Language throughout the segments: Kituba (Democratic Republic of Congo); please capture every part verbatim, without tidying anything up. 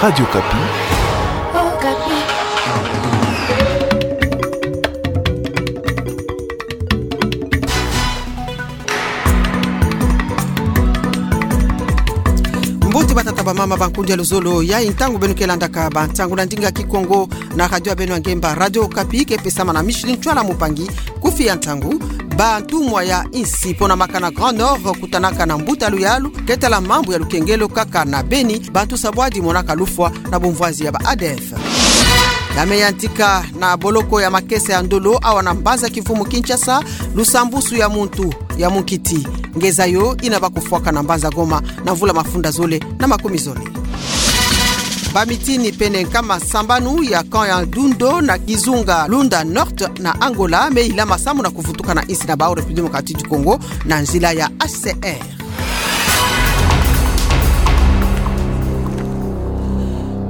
Radio Okapi. Mbuti batata bamama, bankundi ya luzolo, yayi ntangu beno ke landaka bansangu na ndinga Kikongo na radio ya beno ya ngemba, Radio Okapi, ke pesama na Micheline Ntwala Mupangi. Kufi ya nsangu: bantumwa ya insi ponamakana Grand Nord kutanaka na mbuta luyalu ke tala mambu ya lukengelo kaka na beni, bantu sabwadi monaka lufwa na bumvwanzi ya ba A D F. Ya me yantika na boloko ya makesa ya Ndolo, awa na mbanza kimfumu Kinshasa, lusambusu ya muntu ya munkiti nge zayo ina ba kufwaka na mbanza Goma na mvula mafunda zole na makumi zole. Bamitini pene nkama sambanu ya camp ya Dundo na kizunga Lunda Norte na Angola me ilama samu na kuvutuka na insi na bawu République Démocratique du Congo na nzila ya H C R.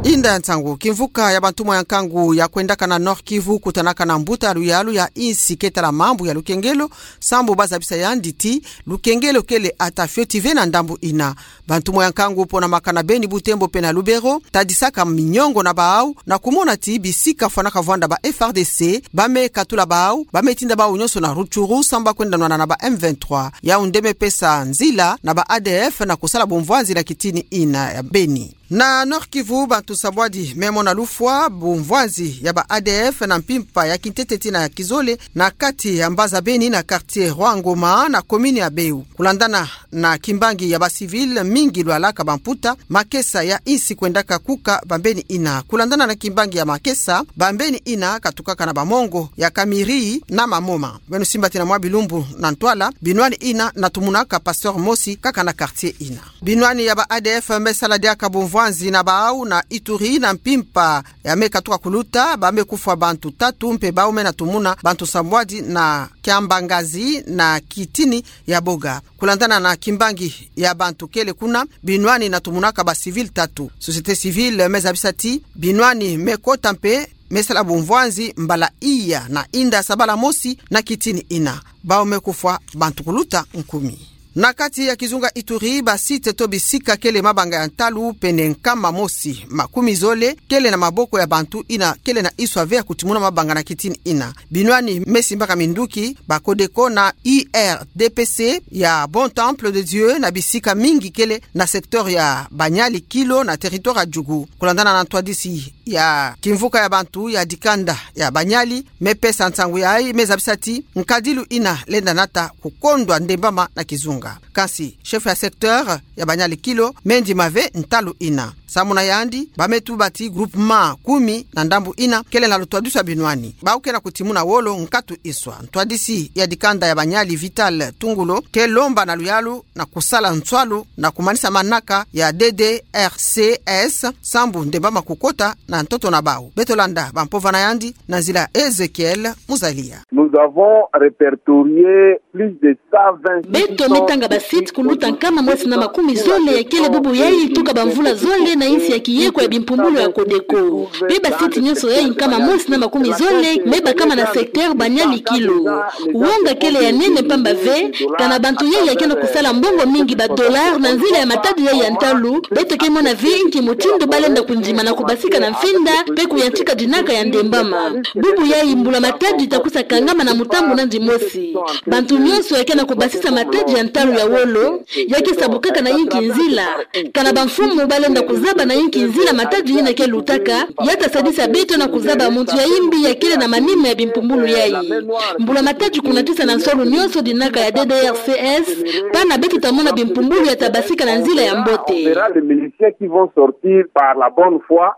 Inda ya nsangu: kimvuka ya bantumwa ya nkangu ya kwendaka na Nord-Kivu kutanaka na mbuta luyalu ya insi ke tala mambu ya lukengelo, sambu ba zabisa yandi ti lukengelo kele ata fioti ve na ndambu ina. Bantumwa ya nkangu ponamakana Beni, Butembo pe na Lubero tadisaka miniongo na bawu na kumona ti bisika fwanaka vwanda ba F A R D C ba me katula bawu, ba me tinda bawu nyonso na Rutshuru sambu ba kwenda nwana na ba M vingt-trois. Yawu nde me pesa nzila na ba A D F na kusala bumvwanzi na kitini ina ya Beni. Na Nord-Kivu, bantu sabwadi me mona lufwa bumvwanzi ya ba A D F na mpimpa ya kintete tii na ya kizole na kati ya mbanza Beni na quartier Roi-Ngoma na commune ya Beu. Kulandana na kimbangi ya ba civil, mingi lwalaka bamputa, makesa ya insi kwendaka kuka bambeni ina. Kulandana na kimbangi ya makesa, bambeni ina katukaka na bamongo ya Kamiri na Mamoma. Beno simba ti na mwa bilumbu na ntwala, binwani ina natumunaka pasteur mosi kaka na quartier ina. Binwani ya ba A D F me sala diaka bumvwanzi na bawu na Ituri na mpimpa ya me katuka kuluta, ba me kufwa bantu tatu mpe bawu me natumuna bantu sabwadi na Kiambangazi na kitini ya Boga. Kulandana na kimbangi ya bantu kele kuna, binwani natumunaka ba civil tatu. Société civile me zabisa ti binwani me kota mpe me sala bumvwanzi mbala iya na inda sabala mosi na kitini ina. Bawu me kufwa bantu kuluta nkumi. Na kati ya kizunga Ituri, ba site to bisika kele mabanga ya ntalu pene nkama mosi makumi zole kele na maboko ya bantu ina kele na iswa ve ya kutimuna mabanga na kitini ina. Binwani me simbaka minduki, ba Codeco na U R D P C ya Bon Temple de Dieu na bisika mingi kele na secteur ya Banyali Kilo na territoire ya Djugu. Kulandana na ntwadisi ya kimvuka ya bantu ya dikanda ya Banyali, me pesa nsangu yayi, me zabisa ti nkadilu ina lenda nata kukondwa ndembama na kizunga. Kansi chef ya secteur ya Banyali Kilo me ndima ve ntalu ina. Samu na yandi, ba me tuba ti groupement kumi na ndambu ina kele na lutwadisu ya binwani. Bawu ke na kutimuna wolo nkatu iswa. Ntwadisi ya dikanda ya Banyali, Vital Tungulo, ke lomba na luyalu na kusala nswalu na kumanisa manaka ya D D R C S sambu ndembama kukota na ntoto na bawu. Beto landa bampovana yandi na nzila Ezekiel Muzalia. Nous avons répertorié plus de cent vingt. Beto me tanga ba site kuluta nkama mosi na makumi zole ya kele bubu yayi tuka bamvula zole na insi ya kiyeko ya bimpumbulu ya Codeco. Mpe ba site nyonso yayi nkama mosi na makumi zole me bakama na secteur Banyali Kilo. Wonga kele ya nene mpamba ve, kana bantu yayi ya ke na kusala mbongo mingi, ba dollars, na nzila ya matadi yayi ya ntalu. Beto ke mona ve nki mutindu ba lenda kundima na kubasika na mfinda mpe kuyantika dinaka ya ndembama. Bubu yayi mbula-matadi ta kwiza kangama na mutambu nandi mosi. Bantu nyonso ya ke na kubasisa matadi ya ntalu ya wolo ya ke sabukaka na yinki nzila. Kana bamfumu ba lenda kuzaba na yinki nzila matadi yina ke lutaka, ya ta sadisa beto na kuzaba muntu ya yimbi ya kele na manima ya bimpumbulu yayi. Mbula-matadi kunatisa na nsolo nyonso dinaka ya D D R C S, pana beto ta mona bimpumbulu ya ta basika na nzila ya mbote. On verra les miliciens qui vont sortir par la bonne foi.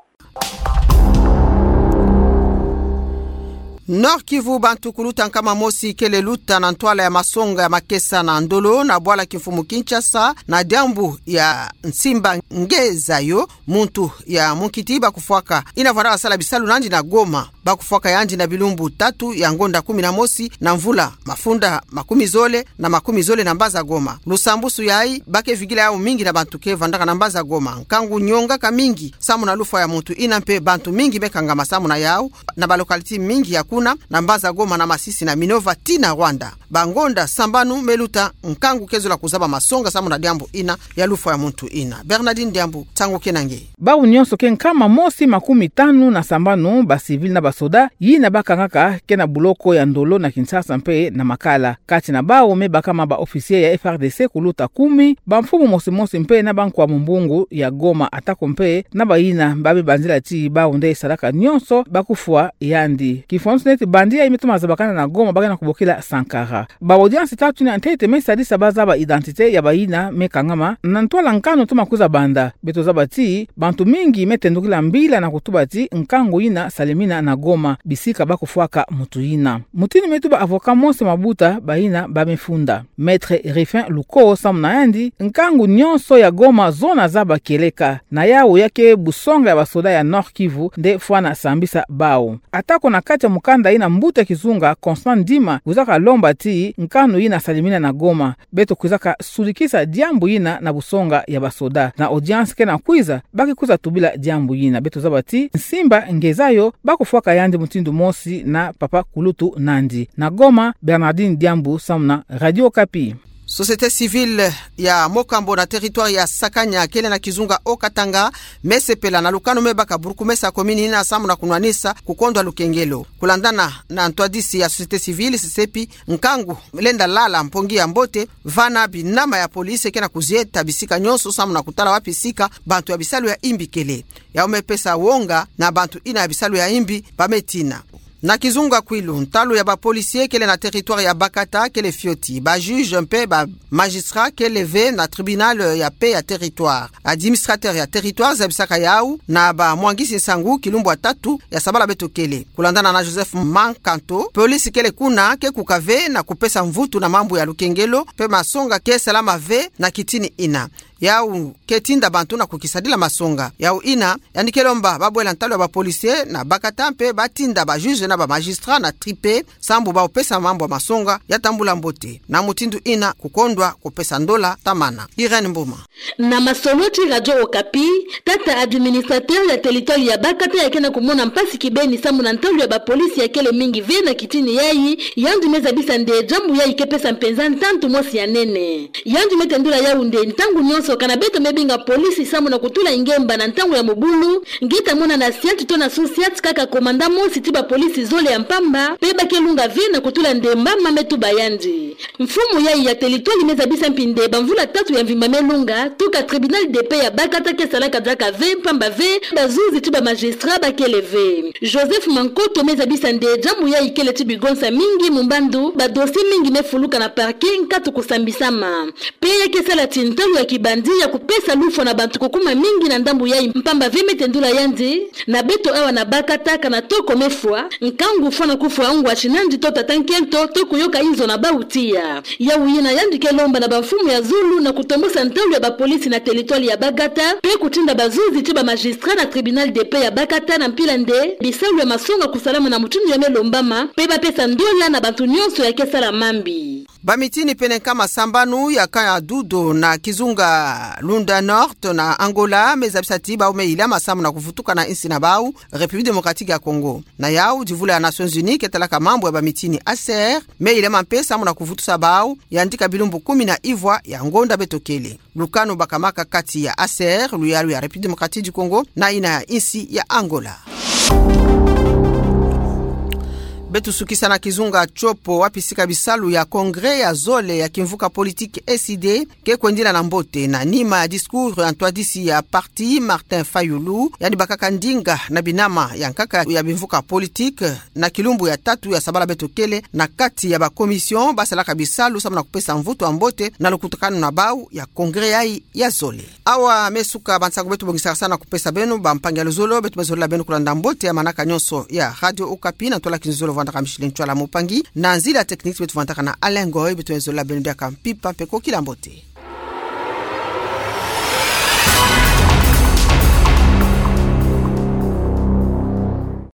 Nord-Kivu, bantu kuluta nkama mosi kele luta na ntwala ya masonga ya makesa na Ndolo na bwala kimfumu Kinshasa na diambu ya Nsimba Ngezayo, muntu ya munkiti ba kufwaka ina vwanda sala bisalu nandi na Goma. bakufwaka yandi na bilumbu tatu ya ngonda kumi na mosi na mvula mafunda makumi zole na makumi zole na mbaza Goma. Lusambusu yayi, ba ke vigila yawu mingi na bantu ke vandaka na mbaza Goma. Nkangu nyongaka mingi samu na lufwa ya muntu ina mpe bantu mingi me kangama samu na yawu, na ba localité mingi ya kuna, na mbaza Goma, na Masisi, na Minova, tii na Rwanda. Ba ngonda sambanu me luta, nkangu ke zola kuzaba masonga samu na diambu ina ya lufwa ya muntu ina. Bernardine Diambu, nsangu ke na nge. Bawu nyonso ke nkama mosi makumi tanu na sambanu, ba civil na ba soda, yina ba kangaka ke na buloko ya Ndolo na Kinshasa mpe na Makala. Kati na bawu me bakama ba officier ya F R D C kuluta kumi, ba mfumu mosi mosi mpe na ba nkwa mumbungu ya Goma, atako mpe na bayina ba me banzila ti bawu nde salaka nyonso bakufwa yandi. Kifonso neti bandi yayi me toma zabakana na Goma, ba ke na kubokila Sankara. Ba audience tatu yina ntete me sadisa ba zaba identité ya bayina me kangama na ntwala nkanu toma kwiza banda. Beto zaba ti bantu mingi me tendukila mbila na kutuba ti nkangu yina salemina na Goma, bisika bakufwaka muntu yina. Mutindu me tuba avocat Mose Mabuta, bayina ba me funda. Maître Rifin Luko samu na yandi, nkangu nyonso ya Goma zo na zaba kieleka. Na yawu ya ke busonga ya ba soda ya Nord-Kivu nde fwana sambisa bawu. Atako na kati ya mukanda yina mbuta kizunga Constant Ndima kwizaka lomba ti nkanu yina salemina na Goma, beto kwizaka sudikisa diambu yina na busonga ya ba soda. Na audience ke na kwiza, ba ke kwiza tubila diambu yina. Beto zaba ti nsimba ngeza yo, bakufwaka yandi mutindu mosi na papa kulutu nandi. Na Goma, Bernardine Diambu samu na Radio Okapi. Société civile ya Mokambo na territoire ya Sakanya, kele na kizunga Haut-Katanga, me sepela na lukanu me baka burkumesa ya commune yina samu na kunwanisa kukondwa lukengelo. Kulandana na ntwadisi ya société civile, sesepi nkangu lenda lala mpongi ya mbote, vana binama ya police ke na kuzieta bisika nyonso samu na kutala wapi sika bantu ya bisalu ya imbi kele. Yawu me pesa wonga na bantu yina ya bisalu ya imbi ba me tina. Na kizunga Kwilu, ntalu ya ba policier kele na territoire ya Bakata kele fioti. Ba juge mpe ba magistrat kele ve na tribunal ya paix ya territoire. Administrateur ya territoire zabisaka yawu na ba mwangisi nsangu kilumbu ya tatu ya sabala beto kele. Kulandana na Joseph Mankanto, police kele kuna ke kuka ve na kupesa mvutu na mambu ya lukengelo, mpe masonga ke salama ve na kitini yina. Yawu ke tinda bantu na kukisadila masonga. Yawu yina, yandi ke lomba ba bwela ntalu ya ba policier na Bakata mpe ba tinda ba juge na ba magistrat na tripe, sambu ba pesa mambu ya masonga ya tambula mbote. Na mutindu yina kukondwa kupesa ndola tamana. Irène Mboma. Na masolo ti Radio Okapi, tata administrateur ya territoire ya Bakata ya ke na kumona mpasi kibeni samu na ntalu ya ba policier ya kele mingi ve na kitini yayi, yandi me zabisa nde diambu yayi ke pesa mpenza ntantu mosi ya nene. Yandi me tendula yawu nde ntangu nyonso kana beto me binga police samu na kutula ngemba na ntangu ya mobulu, nge ta mona na siat to na sous-siat kaka commandant mosi ti ba police zole ya mpamba, mpe ba ke lunga ve na kutula ndemba, ma me tuba yandi. Mfumu yayi ya territoire me zabisa mpi nde ba mvula tatu ya mvimba me lunga, tuka tribunal de paix ya Bakata ke salaka diaka ve, mpamba ve ba juge ti ba magistrat ba kele ve. Joseph Mankoto me zabisa nde diambu yayi kele ti bigonsa mingi, mu mbandu ba dossier mingi me fuluka na parquet nkatu kusambisama. Mpe ya ke sala ti ntalu ya kibandi ya kupesa lufwa na bantu kukuma mingi na ndambu yayi, mpamba ve me tendula yandi, na beto awa na Bakata kana toko me fwa, nkangu fwana kufwa ngwa ti nandi to tata nkento, to kuyoka inzo na bawu tiya. Yawu yina yandi ke lomba na ba mfumu ya zulu na kutombosa ntalu ya ba police na territoire ya Bakata, mpe kutinda ba juge ti ba magistrat na tribunal de paix ya Bakata na mpila nde bisalu ya masonga kusalama na mutindu ya me lombama, mpe ba pesa ndola na bantu nyonso ya ke sala mambi. Ba mitini pene nkama sambanu ya camp ya Dudo na kizunga Lunda Norte na Angola me zabisa ti bawu me yilama samu na kuvutuka na insi na bawu, République Démocratique ya Congo. Na yawu, divula ya Nations Unies ke talaka mambu ya ba mitini H C R me yilama mpe samu na kuvutusa bawu, yandika bilumbu kumi na ivwa ya ngonda beto kele. Lukanu bakamaka kati ya H C R, luyalu ya République Démocratique du Congo, na yina ya insi ya Angola. Beto sukisa na kizunga Tshopo, wapi sika bisalu ya congrès ya zole ya kimvuka politique E C D ke kwendila na mbote, na nima ya discours ya ntwadisi ya parti Martin Fayulu, yandi bakaka ndinga na binama ya nkaka ya bimvuka politique, na kilumbu ya tatu ya sabala beto kele, na kati ya ba commission ba salaka bisalu samu na kupesa mvutu ya mbote na lukutakanu na bawu ya congrès yayi ya zole. Awa me suka ba nsangu beto bongisaka samu na kupesa beno, ba mpangi ya luzolo, beto me zolila beno kulanda mbote ya manaka nyonso ya Radio Okapi, na ntwala kinzolo vandaka Micheline Tshoala Mupangi, na nzila technique beto vandaka na Alain Ngoy, beto me zolila beno diaka mpimpa mpe kokila mbote.